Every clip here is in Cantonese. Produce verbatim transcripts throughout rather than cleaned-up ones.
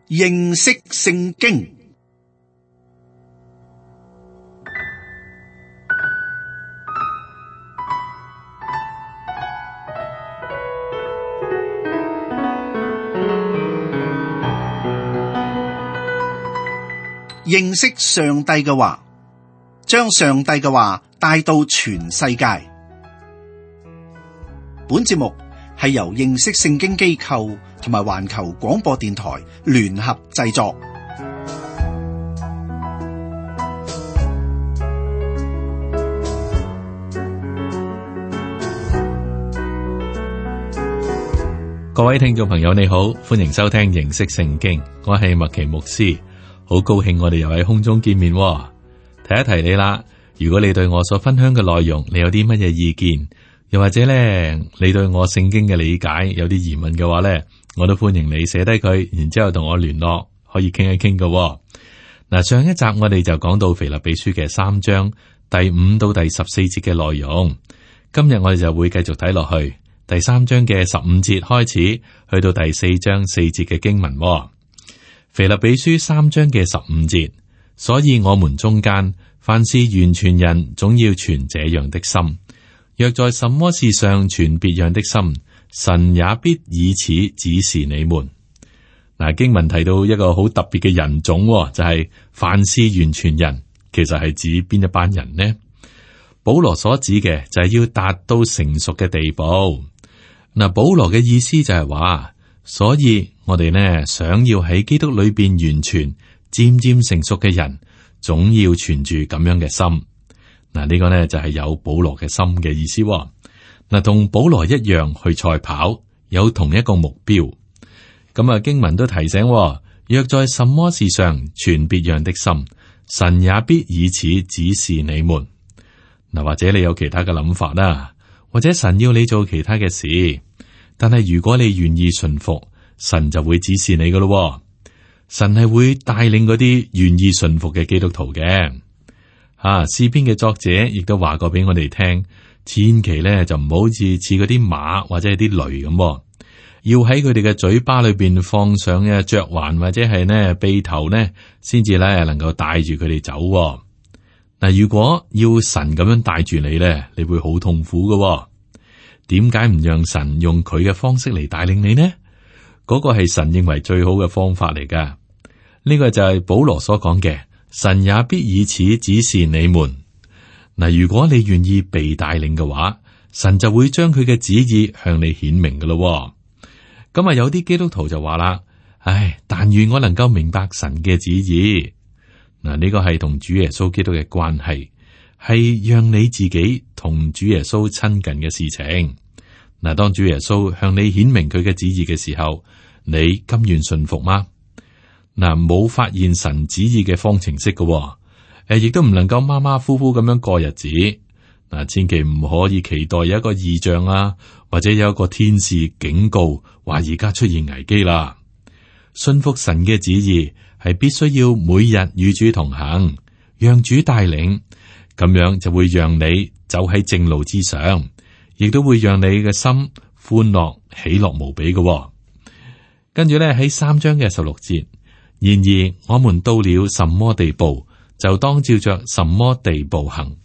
認識聖經。認識上帝嘅話，將上帝嘅話帶到全世界。本節目係由認識聖經機構同埋環球廣播電台聯合製作。各位聽眾朋友，你好，歡迎收聽認識聖經，我係麥奇牧師。好高興我哋又喺空中見面，提一提你啦。如果你對我所分享嘅內容，你有啲乜嘢意見，又或者咧，你對我聖經嘅理解有啲疑問嘅話咧，我都歡迎你寫低佢，然之後同我聯絡，可以傾一傾嘅。嗱，上一集我哋就講到腓立比書嘅三章第五到第十四節嘅內容，今日我哋就會繼續睇落去第三章嘅十五節開始，去到第四章四節嘅經文。腓立比書三章嘅十五節，所以我們中間凡是完全人，總要存這樣的心。若在什麼事上存別樣的心，神也必以此指示你們。嗱，經文提到一個好特別嘅人種，就係、是、凡是完全人，其實係指邊一班人呢？保羅所指嘅就係要達到成熟嘅地步。嗱，保羅嘅意思就係話，所以我哋呢想要喺基督裏邊完全漸漸成熟嘅人，總要存住咁樣嘅心。嗱，呢個呢就係有保羅嘅心嘅意思。嗱，同保羅一樣去賽跑，有同一個目標。咁啊，經文都提醒，若在什麼事上存別樣的心，神也必以此指示你們。嗱，或者你有其他嘅諗法啦，或者神要你做其他嘅事。但係如果你願意順服，神就會指示你噶咯。神係會帶領嗰啲願意順服嘅基督徒嘅。啊，詩篇嘅作者亦都話過俾我哋聽，千祈咧就唔好似似嗰啲馬或者係啲驢咁，要喺佢哋嘅嘴巴裏邊放上嘅嚼環或者係呢轡頭呢，先至咧能夠帶住佢哋走。嗱，如果要神咁樣帶住你咧，你會好痛苦噶。點解唔讓神用佢嘅方式嚟帶領你呢？嗰個係神認為最好嘅方法嚟噶。呢個就係保羅所講嘅，神也必以此指示你們。嗱，如果你願意被帶領嘅話，神就會將佢嘅旨意向你顯明噶咯。咁啊，有啲基督徒就話啦，唉，但願我能夠明白神嘅旨意。嗱，呢個係同主耶穌基督嘅關係，係讓你自己同主耶穌親近嘅事情。嗱，當主耶穌向你顯明佢嘅旨意嘅時候，你甘願順服嗎？嗱，冇發現神旨意嘅方程式嘅，誒，亦都唔能夠馬馬虎虎咁樣過日子。嗱，千祈唔可以期待有一個異象啊，或者有一個天使警告話而家出現危機啦。順服神嘅旨意係必須要每日與主同行，讓主帶領。咁樣就會讓你走喺正路之上，亦都會讓你嘅心歡樂喜樂無比嘅。跟住咧喺三章嘅十六節，然而我們到了什麼地步，就當照着什麼地步行。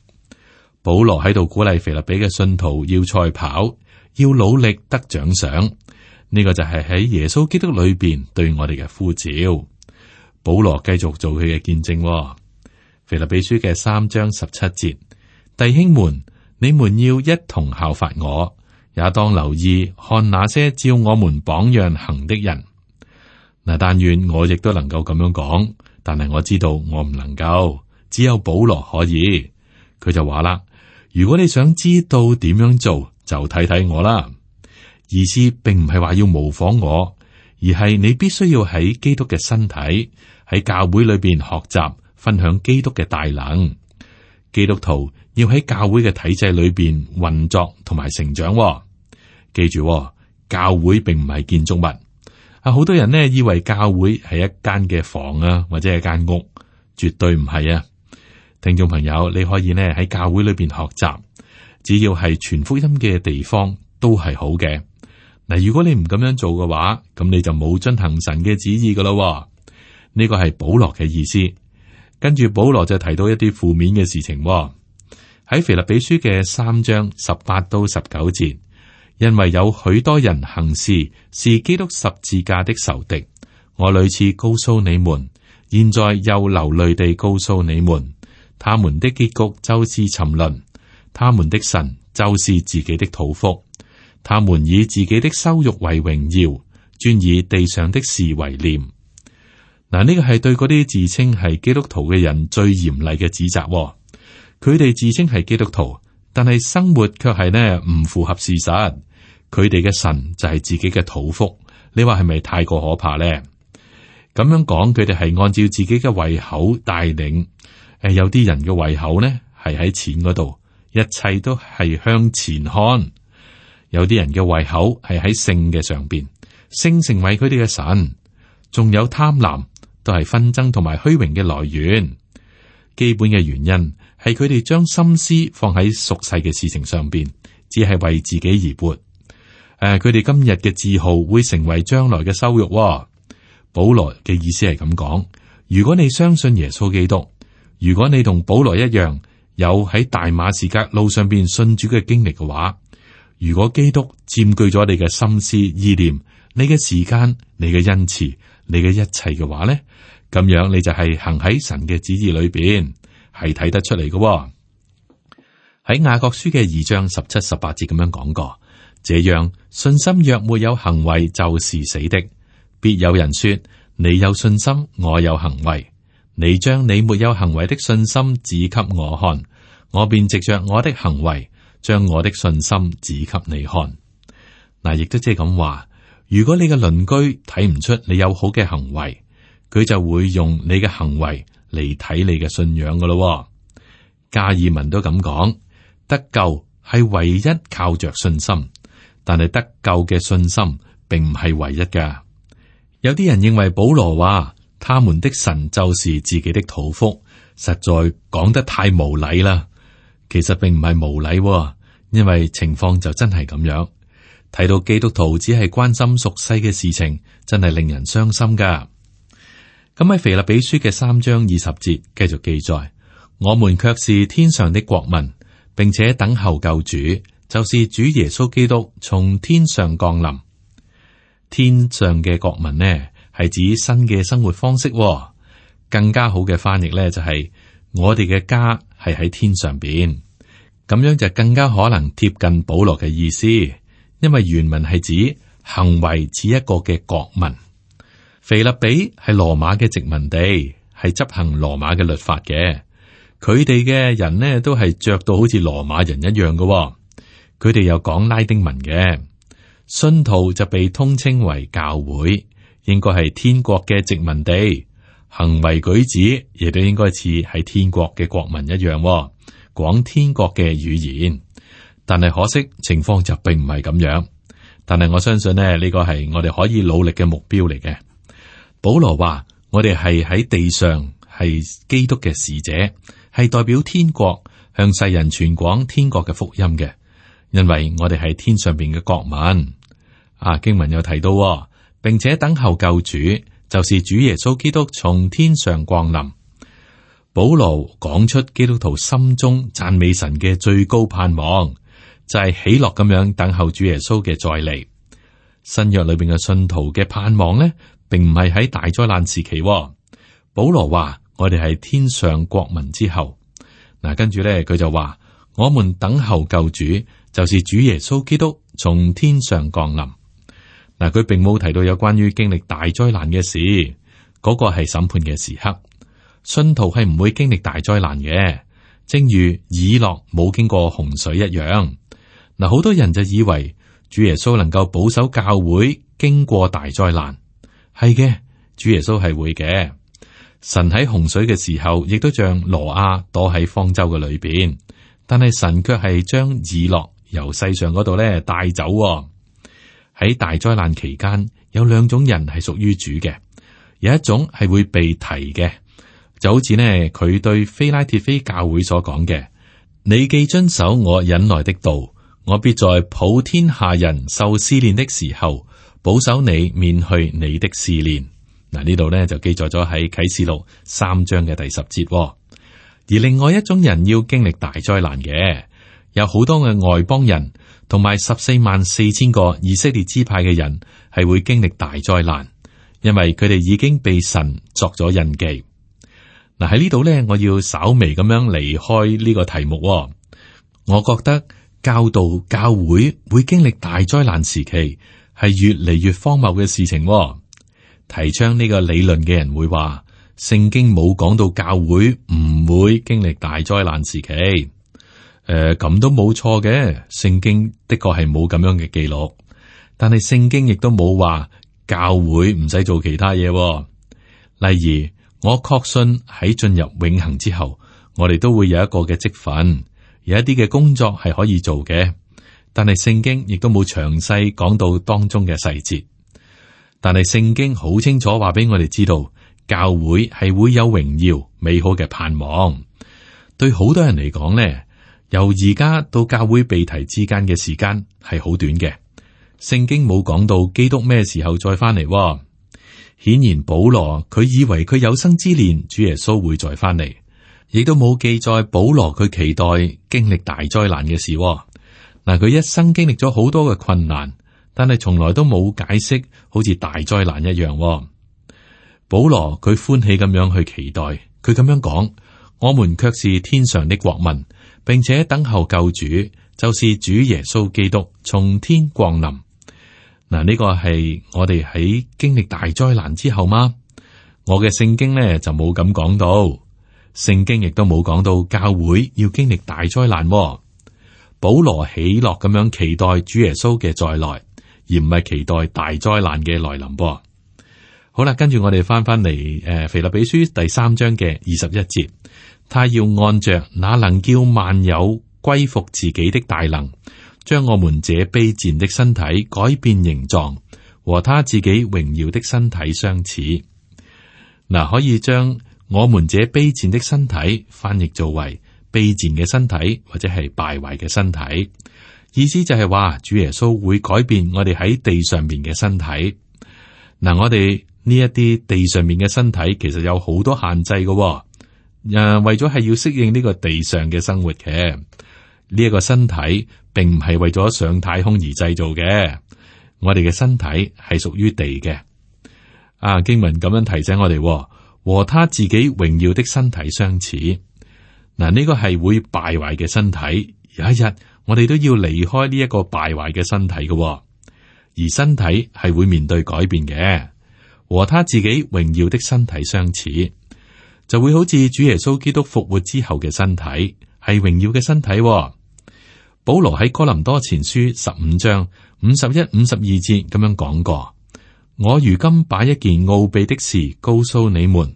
保羅喺度鼓勵腓立比嘅信徒要賽跑，要努力得獎賞。呢、這個就係喺耶穌基督裏邊對我哋嘅呼召。保羅繼續做佢嘅見證。腓立比書嘅三章十七節，弟兄們，你們要一同效法我，也當留意看那些照我們榜樣行的人。嗱，但願我亦都能夠咁樣講，但係我知道我唔能夠，只有保羅可以。佢就話啦，如果你想知道點樣做，就睇睇我啦。意思並唔係話要模仿我，而係你必須要喺基督嘅身體，喺教會裏邊學習。分享基督嘅大能，基督徒要喺教會嘅體制裏邊運作同埋成長。記住，教會並唔係建築物。啊，好多人呢以為教會係一間嘅房啊，或者係間屋，絕對唔係啊。聽眾朋友，你可以呢喺教會裏邊學習，只要係傳福音嘅地方都係好嘅。嗱，如果你唔咁樣做嘅話，咁你就冇遵行神嘅旨意噶咯。呢個係保羅嘅意思。跟住保羅就提到一啲負面嘅事情喎。喺腓立比書嘅三章十八到十九節，因為有許多人行事是基督十字架的仇敵，我屢次告訴你們，現在又流淚地告訴你們，他們的結局就是沉淪，他們的神就是自己的肚腹，他們以自己的羞辱為榮耀，專以地上的事為念。嗱，呢個係對嗰啲自稱係基督徒嘅人最嚴厲嘅指責喎。佢哋自稱係基督徒，但係生活卻係呢唔符合事實。佢哋嘅神就係自己嘅肚腹，你話係咪太過可怕呢？咁樣講，佢哋係按照自己嘅胃口帶領。誒，有啲人嘅胃口呢係喺錢嗰度，一切都係向前看。有啲人嘅胃口係喺性嘅上邊，性成為佢哋嘅神。仲有貪婪，都係紛爭同埋虛榮嘅來源。基本嘅原因係佢哋將心思放喺俗世嘅事情上邊，只係為自己而活。誒、呃，佢哋今日嘅自豪會成為將來嘅羞辱、哦。保羅嘅意思係咁講：如果你相信耶穌基督，如果你同保羅一樣有喺大馬士革路上邊信主嘅經歷嘅話，如果基督佔據咗你嘅心思意念、你嘅時間、你嘅恩賜、你嘅一切嘅話咧，咁樣你就係行喺神嘅旨意裏邊，係睇得出嚟嘅、哦。喺雅各書嘅二章十七、十八節咁樣講過，這樣信心若沒有行為，就是死的。必有人說：你有信心，我有行為。你將你沒有行為的信心指給我看，我便藉着我的行為，將我的信心指給你看。嗱，亦都即係咁話，如果你嘅鄰居睇唔出你有好嘅行為，佢就會用你嘅行為嚟睇你嘅信仰噶咯。加爾文都咁講，得救係唯一靠着信心，但係得救嘅信心並唔係唯一噶。有啲人認為保羅話他們的神就是自己的肚腹，實在講得太無禮啦。其實並唔係無禮，因為情況就真係咁樣。睇到基督徒只係關心俗世嘅事情，真係令人傷心噶。咁喺腓立比書嘅三章二十節繼續記載，我們卻是天上的國民，並且等候救主，就是主耶穌基督從天上降臨。天上嘅國民呢，係指新嘅生活方式。更加好嘅翻譯呢，就係我哋嘅家係喺天上邊，咁樣就更加可能貼近保羅嘅意思。因為原文係指行為似一個嘅國民。腓立比係羅馬嘅殖民地，係執行羅馬嘅律法嘅。佢哋嘅人呢，都係着到好似羅馬人一樣嘅。佢哋又講拉丁文嘅。信徒就被通稱為教會，應該係天國嘅殖民地，行為舉止亦都應該似係天國嘅國民一樣，講天國嘅語言。但係可惜情況就並唔係咁樣。但係我相信呢，呢個係我哋可以努力嘅目標嚟嘅。保羅話：我哋係喺地上係基督嘅使者，係代表天國向世人傳廣天國嘅福音嘅，因為我哋係天上邊嘅國民。啊，經文有提到，並且等候救主，就是主耶穌基督從天上降臨。保羅講出基督徒心中讚美神嘅最高盼望，就係喜樂咁樣等候主耶穌嘅再嚟。新約裏邊嘅信徒嘅盼望呢，並唔係喺大災難時期。保羅話：我哋係天上國民之後。嗱，跟住咧，佢就話：我們等候救主，就是主耶穌基督從天上降臨。嗱，佢並冇提到有關於經歷大災難嘅事，嗰個係審判嘅時刻。信徒係唔會經歷大災難嘅，正如以諾冇經過洪水一樣。嗱，好多人就以為主耶穌能夠保守教會經過大災難，係嘅，主耶穌係會嘅。神喺洪水嘅時候，亦都像挪亞躲喺方舟嘅裏邊，但係神卻係將以諾由世上嗰度咧帶走。喺大災難期間，有兩種人係屬於主嘅，有一種係會被提嘅，就好似呢佢對非拉鐵非教會所講嘅：你既遵守我忍耐的道，我必在普天下人受試煉的時候，保守你免去你的試煉。嗱，呢度咧就記載咗喺啟示錄三章嘅第十節。而另外一種人要經歷大災難嘅，有好多嘅外邦人，同埋十四萬四千個以色列支派嘅人係會經歷大災難，因為佢哋已經被神作咗印記。嗱，喺呢度咧，我要稍微咁樣離開呢個題目。我覺得教導教會會經歷大災難時期係越嚟越荒謬嘅事情。提倡呢個理論嘅人會話，聖經冇講到教會唔會經歷大災難時期。誒、呃，咁都冇錯嘅，聖經的確係冇咁樣嘅記錄，但係聖經亦都冇話教會唔使做其他嘢。例如，我確信喺進入永恆之後，我哋都會有一個嘅職分，有一啲嘅工作係可以做嘅，但係聖經亦都冇詳細講到當中嘅細節。但係聖經好清楚話俾我哋知道，教會係會有榮耀美好嘅盼望。對好多人嚟講呢，由而家到教會被提之間嘅時間係好短嘅。聖經冇講到基督咩時候再翻嚟。顯然保羅佢以為佢有生之年主耶穌會再翻嚟，亦都冇記載保羅佢期待經歷大災難嘅事。嗱，佢一生經歷咗好多嘅困難，但係從來都冇解釋，好似大災難一樣。保羅佢歡喜咁樣去期待，佢咁樣講：我們卻是天上的國民，並且等候救主，就是主耶穌基督從天降臨。嗱，呢個係我哋喺經歷大災難之後嗎？我嘅聖經呢就冇咁講到，聖經亦都冇講到教會要經歷大災難。保羅喜樂咁樣期待主耶穌嘅再來，而唔係期待大災難嘅來臨噃。好啦，跟住我哋翻翻嚟，誒，腓立比書第三章嘅二十一節，他要按着那能叫萬有歸服自己的大能，將我們這卑賤的身體改變形狀，和他自己榮耀的身體相似。嗱，可以將我們這卑賤的身體翻譯做為卑賤嘅身體，或者係敗壞嘅身體。意思就係話，主耶穌會改變我哋喺地上面嘅身體。嗱，我哋呢一啲地上面嘅身體，其實有好多限制嘅。誒，為咗係要適應呢個地上嘅生活嘅，呢一個身體並唔係為咗上太空而製造嘅。我哋嘅身體係屬於地嘅。啊，經文咁樣提醒我哋，和他自己榮耀的身體相似。嗱，呢個係會敗壞嘅身體，有一日我哋都要離開呢一個敗壞嘅身體嘅，而身體係會面對改變嘅。和他自己榮耀的身體相似，就會好似主耶穌基督復活之後嘅身體，係榮耀嘅身體。保羅喺哥林多前書十五章五十一、五十二節咁樣講過：我如今把一件奧秘的事告訴你們，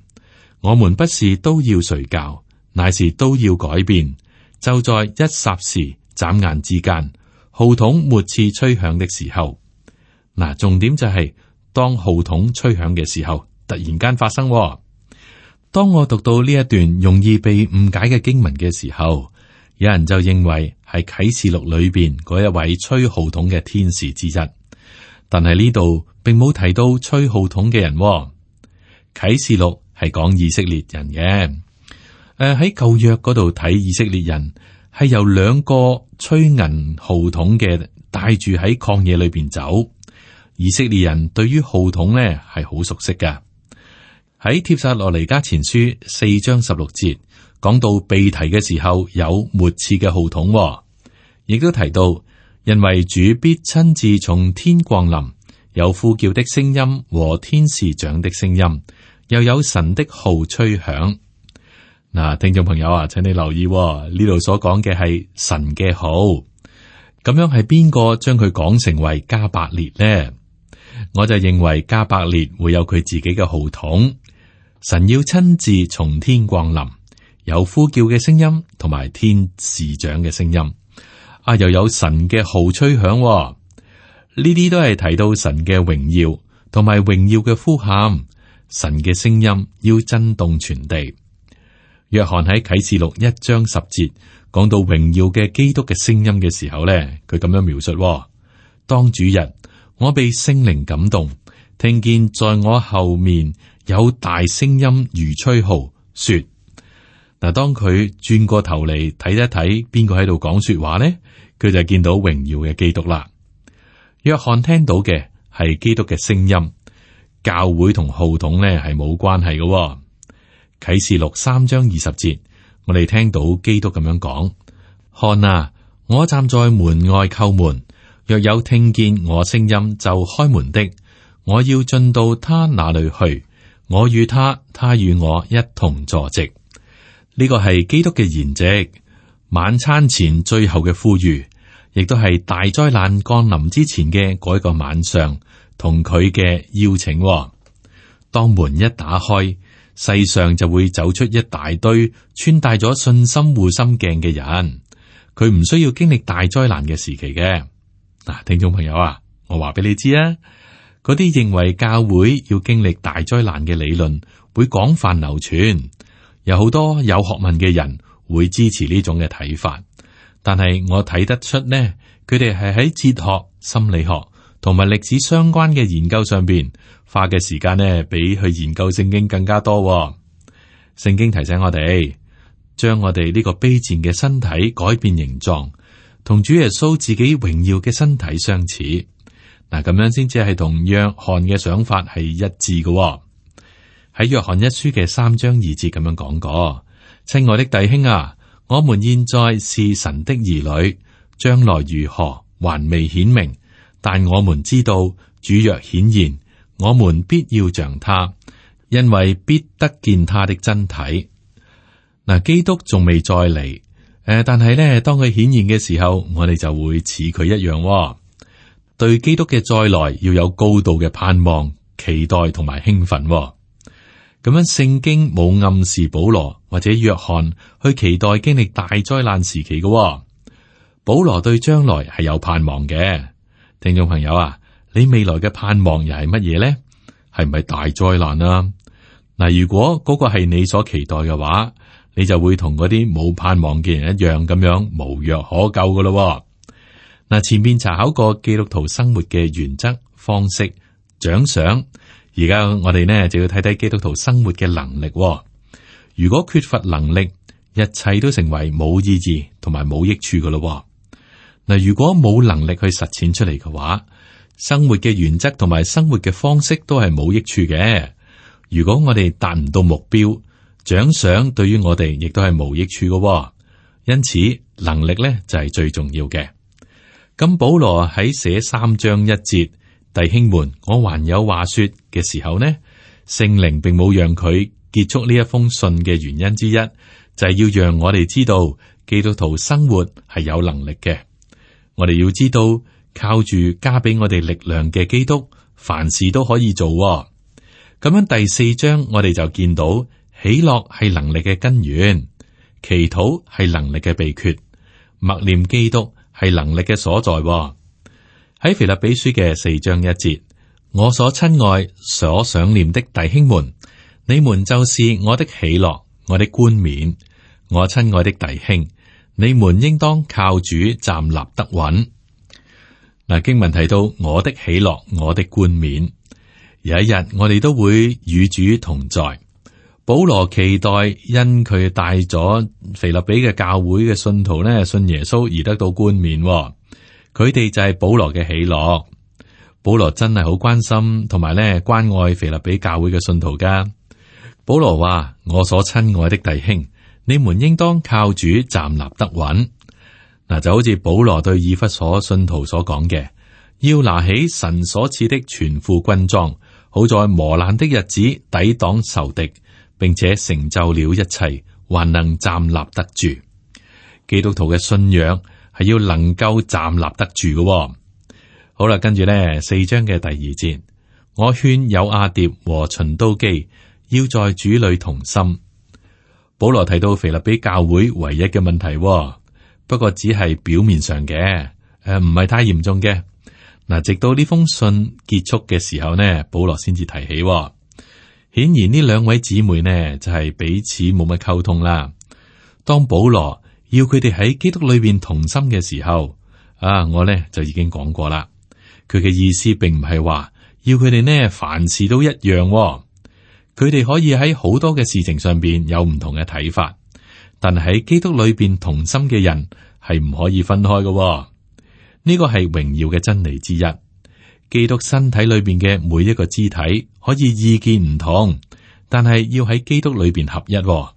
我們不是都要睡覺，乃是都要改變，就在一霎時、眨眼之間，號筒末次吹響的時候。嗱，重點就係、是。當號筒吹響嘅時候，突然間發生。當我讀到呢一段容易被誤解嘅經文嘅時候，有人就認為係啟示錄裏邊嗰一位吹號筒嘅天使之一。但係呢度並冇提到吹號筒嘅人。啟示錄係講以色列人嘅。誒、呃，喺舊約嗰度睇以色列人係由兩個吹銀號筒嘅帶住喺曠野裏邊走。以色列人對於號筒呢係好熟悉噶。喺帖撒羅尼迦前書四章十六節講到被提嘅時候有末次嘅號筒，亦都提到因為主必親自從天降臨，有呼叫的聲音和天使長的聲音，又有神的號吹響。嗱，聽眾朋友啊，請你留意呢度所講嘅係神嘅號，咁樣係邊個將佢講成為加百列呢？我就認為加百列會有佢自己嘅號筒，神要親自從天降臨，有呼叫嘅聲音同埋天使長嘅聲音，啊，又有神嘅號吹響，呢啲都係提到神嘅榮耀同埋榮耀嘅呼喊，神嘅聲音要震動全地。約翰喺啟示錄一章十節講到榮耀嘅基督嘅聲音嘅時候咧，佢咁樣描述：當主日，我被聖靈感動，聽見在我後面有大聲音如吹號，說：嗱，當佢轉過頭嚟睇一睇邊個喺度講說話呢，佢就見到榮耀嘅基督啦。約翰聽到嘅係基督嘅聲音，教會同號筒呢係冇關係嘅、哦。啟示錄三章二十節，我哋聽到基督咁樣講：看啊，我站在門外叩門，若有聽見我聲音就開門的，我要進到他那裏去，我與他，他與我一同坐席。呢個係基督嘅筵席，晚餐前最後嘅呼籲，亦都係大災難降臨之前嘅嗰一個晚上，同佢嘅邀請、哦。當門一打開，世上就會走出一大堆穿戴咗信心護心鏡嘅人，佢唔需要經歷大災難嘅時期嘅。嗱，聽眾朋友啊，我話俾你知啊，嗰啲認為教會要經歷大災難嘅理論會廣泛流傳，有好多有學問嘅人會支持呢種嘅睇法，但係我睇得出呢，佢哋係喺哲學、心理學同埋歷史相關嘅研究上邊花嘅時間呢，比去研究聖經更加多、哦。聖經提醒我哋，將我哋呢個卑賤嘅身體改變形狀，同主耶穌自己榮耀嘅身體相似。嗱，咁樣先至係同約翰嘅想法係一致嘅、哦。喺約翰一書嘅三章二節咁樣講過：親愛的弟兄啊，我們現在是神的兒女，將來如何還未顯明，但我們知道主若顯現，我們必要像他，因為必得見他的真體。嗱，基督仲未再嚟，誒、呃，但係咧，當佢顯現嘅時候，我哋就會似佢一樣、哦。對基督嘅再來要有高度嘅盼望、期待同埋興奮、哦。咁樣，聖經冇暗示保羅或者約翰去期待經歷大災難時期嘅、哦。保羅對將來係有盼望嘅。聽眾朋友啊，你未來嘅盼望又係乜嘢咧？係唔係大災難啊？嗱，如果嗰個係你所期待嘅話，你就會同嗰啲冇盼望嘅人一樣咁樣無藥可救噶咯。嗱，前面查考過基督徒生活嘅原則、方式、獎賞，而家我哋呢就要睇睇基督徒生活嘅能力。如果缺乏能力，一切都成為冇意義同埋冇益處噶咯。嗱，如果冇能力去實踐出嚟嘅話，生活嘅原則同埋生活嘅方式都係冇益處嘅。如果我哋達唔到目標，獎賞對於我哋亦都係冇益處嘅。因此，能力咧就係最重要嘅。咁保羅喺寫三章一節，弟兄們，我還有話說嘅時候呢，聖靈並冇讓佢結束呢一封信嘅原因之一，就係要讓我哋知道基督徒生活係有能力嘅。我哋要知道，靠住加俾我哋力量嘅基督，凡事都可以做。咁樣第四章我哋就見到，喜樂係能力嘅根源，祈禱係能力嘅秘訣，默念基督係能力嘅所在。喺腓立比書嘅四章一節，我所親愛、所想念的弟兄們，你們就是我的喜樂，我的冠冕。我親愛的弟兄，你們應當靠主站立得穩。嗱，經文提到我的喜樂，我的冠冕，有一日我哋都會與主同在。保羅期待因佢帶咗腓立比嘅教會嘅信徒呢，信耶穌而得到冠冕，佢哋就係保羅嘅喜樂。保羅真係好關心同埋咧關愛腓立比教會嘅信徒噶。保羅話：我所親愛的弟兄，你們應當靠主站立得穩。嗱，就好似保羅對以弗所信徒所講嘅，要拿起神所賜的全副軍裝，好在磨難的日子抵擋仇敵，並且成就了一切，還能站立得住。基督徒嘅信仰係要能夠站立得住嘅、哦。好啦，跟住呢四章嘅第二節，我勸友阿蝶和循都基要在主裏同心。保羅提到腓立比教會唯一嘅問題、哦。不過只係表面上嘅，誒唔係太嚴重嘅。嗱，直到呢封信結束嘅時候呢，保羅先至提起、哦。顯然呢兩位姊妹呢就係、是、彼此冇乜溝通啦。當保羅要佢哋喺基督裏邊同心嘅時候，啊，我呢就已經講過啦。佢嘅意思並唔係話要佢哋呢凡事都一樣喎。佢哋可以喺好多嘅事情上邊有唔同嘅睇法，但係喺基督裏邊同心嘅人係唔可以分開嘅喎。呢個係榮耀嘅真理之一。基督身體裏邊嘅每一個肢體可以意見唔同，但係要喺基督裏邊合一喎。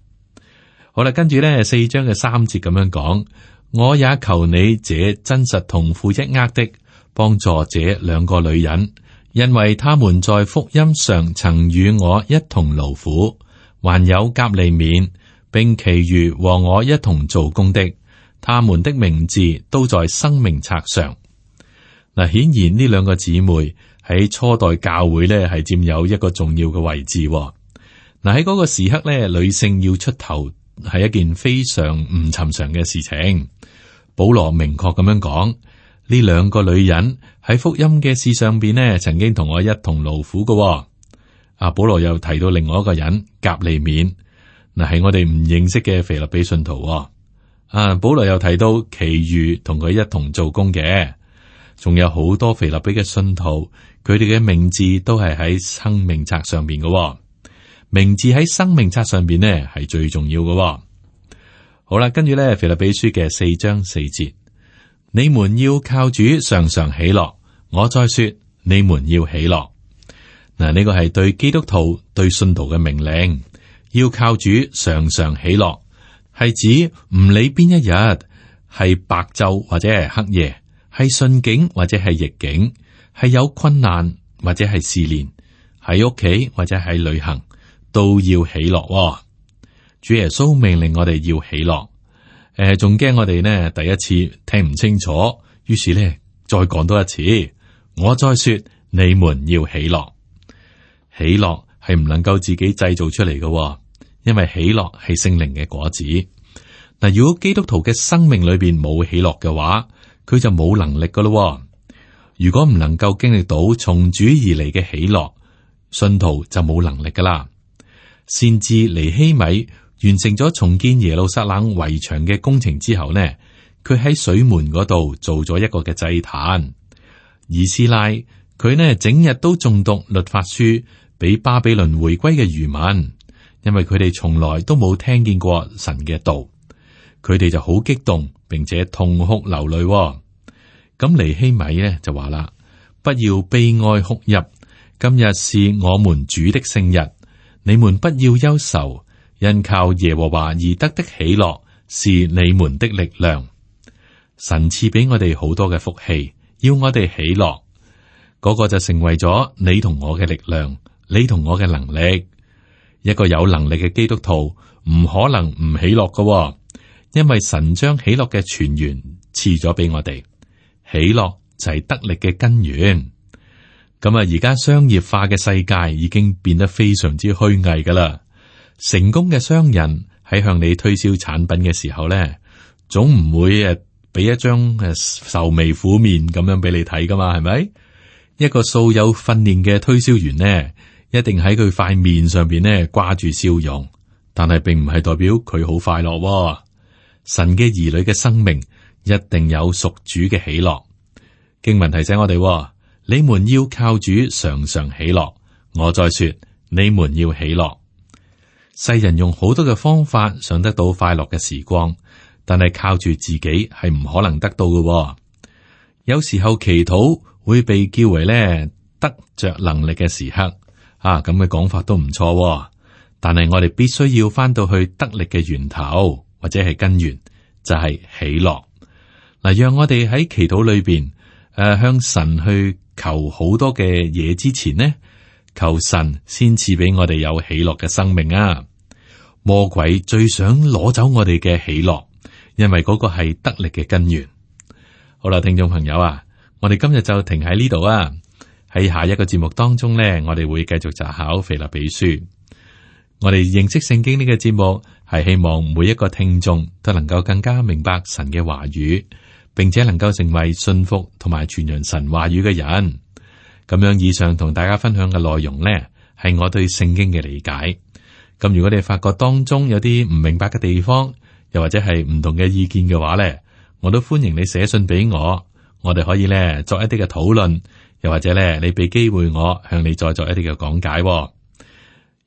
好啦，跟住呢四章嘅三節咁樣講，我也求你這真實同負一軛的，幫助這兩個女人。因為他們在福音上曾與我一同勞苦，還有革利免，並其餘和我一同做工的，他們的名字都在生命冊上。嗱，顯然呢兩個姊妹喺初代教會咧係佔有一個重要嘅位置。嗱，喺嗰個時刻咧，女性要出頭係一件非常唔尋常嘅事情。保羅明確咁樣講。呢兩個女人喺福音嘅事上邊呢，曾經同我一同勞苦嘅、哦。阿保羅又提到另外一個人革利免，嗱係我哋唔認識嘅腓立比信徒、哦。啊，保羅又提到其餘同佢一同做工嘅，仲有好多腓立比嘅信徒，佢哋嘅名字都係喺生命冊上邊嘅、哦。名字喺生命冊上邊呢係最重要嘅、哦。好啦，跟住咧腓立比書嘅四章四節。你們要靠主常常喜樂，我再說，你們要喜樂。嗱，呢個係對基督徒、對信徒嘅命令，要靠主常常喜樂，係指唔理邊一日，係白晝或者係黑夜，係順境或者係逆境，係有困難或者係試煉，喺屋企或者喺旅行，都要喜樂、哦。主耶穌命令我哋要喜樂。誒，仲驚我哋呢第一次聽唔清楚，於是呢再講多一次。我再說，你們要喜樂。喜樂係唔能夠自己製造出嚟嘅，因為喜樂係聖靈嘅果子。嗱，如果基督徒嘅生命裏邊冇喜樂嘅話，佢就冇能力噶咯。如果唔能夠經歷到從主而嚟嘅喜樂，信徒就冇能力噶啦。先知尼希米完成咗重建耶路撒冷圍牆嘅工程之後呢，佢喺水門嗰度做咗一個嘅祭壇。以斯拉佢呢整日都誦讀律法書俾巴比倫回歸嘅餘民，因為佢哋從來都冇聽見過神嘅道，佢哋就好激動，並且痛哭流淚。咁尼希米呢就話啦：不要悲哀哭泣，今日是我們主的聖日，你們不要憂愁。因靠耶和華而得的喜樂是你們的力量。神賜俾我哋好多嘅福氣，要我哋喜樂，嗰、那個就成為咗你同我嘅力量，你同我嘅能力。一個有能力嘅基督徒唔可能唔喜樂㗎、哦，因為神將喜樂嘅泉源賜咗俾我哋。喜樂就係得力嘅根源。咁啊，而家商業化嘅世界已經變得非常之虛偽噶啦。成功嘅商人喺向你推銷產品嘅時候咧，總唔會誒俾一張誒愁眉苦面咁樣俾你睇噶嘛，係咪？一個素有訓練嘅推銷員呢，一定喺佢塊面上邊呢掛住笑容，但係並唔係代表佢好快樂喎。神嘅兒女嘅生命一定有屬主嘅喜樂。經文提醒我哋，你們要靠主常常喜樂。我再說，你們要喜樂。世人用好多嘅方法想得到快樂嘅時光，但係靠住自己係唔可能得到嘅喎。有時候祈禱會被叫為咧得着能力嘅時刻，啊咁嘅講法都唔錯喎。但係我哋必須要翻到去得力嘅源頭或者係根源，就係喜樂。嗱，讓我哋喺祈禱裏邊誒向神去求好多嘅嘢之前呢，求神先賜俾我哋有喜樂嘅生命啊！魔鬼最想攞走我哋嘅喜樂，因為嗰個係得力嘅根源。好啦，聽眾朋友啊，我哋今日就停喺呢度啊。喺下一個節目當中呢，我哋會繼續查考腓立比書。我哋認識聖經呢個節目係希望每一個聽眾都能夠更加明白神嘅話語，並且能夠成為信服同埋傳揚神話語嘅人。咁樣以上同大家分享嘅內容呢，係我對聖經嘅理解。咁如果你發覺當中有啲唔明白嘅地方，又或者係唔同嘅意見嘅話呢，我都歡迎你寫信俾我，我哋可以呢作一啲嘅討論，又或者咧，你俾機會我向你再作一啲嘅講解喎。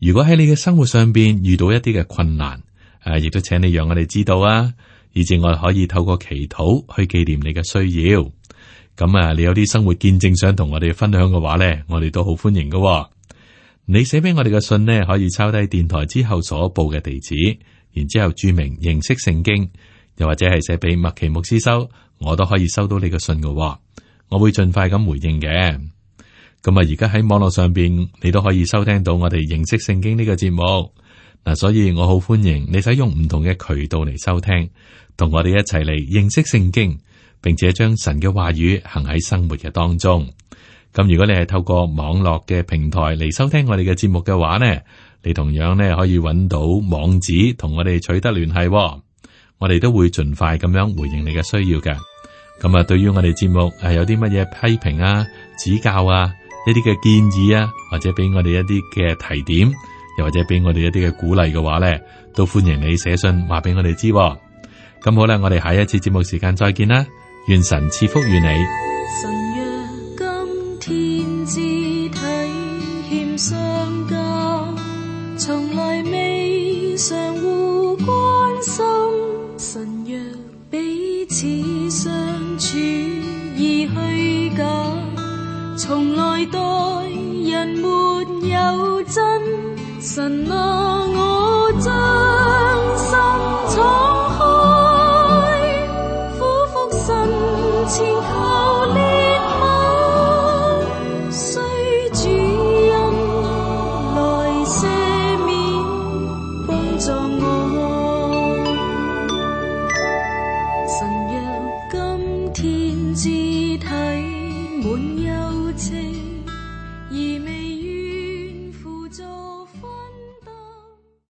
如果喺你嘅生活上邊遇到一啲嘅困難，誒，亦都請你讓我哋知道啊，以至我哋可以透過祈禱去紀念你嘅需要。咁啊，你有啲生活見證想同我哋分享嘅話咧，我哋都好歡迎㗎喎。你寫俾我哋嘅信呢，可以抄低電台之後所報嘅地址，然之後注明認識聖經，又或者係寫俾麥奇牧師收，我都可以收到你嘅信㗎喎。我會盡快咁回應嘅。咁啊，而家喺網絡上邊，你都可以收聽到我哋認識聖經呢個節目嗱，所以我好歡迎你使用唔同嘅渠道嚟收聽，同我哋一齊嚟認識聖經，並且將神嘅話語行喺生活嘅當中。咁如果你係透過網絡嘅平台嚟收聽我哋嘅節目嘅話呢，你同樣呢可以揾到網址同我哋取得聯繫喎。我哋都會盡快咁樣回應你嘅需要嘅。咁啊，對於我哋節目係有啲乜嘢批評啊、指教啊、一啲嘅建議啊，或者俾我哋一啲嘅提點，又或者俾我哋一啲嘅鼓勵嘅話呢，都歡迎你寫信話俾我哋知喎。咁好啦，我哋下一次節目時間再見啦，願神賜福於你。天之體欠相交，從來未相互關心。神若彼此相處已虛假，從來待人沒有真。神啊，我將心敞開，俯伏身前求憐憫。肢體滿有情。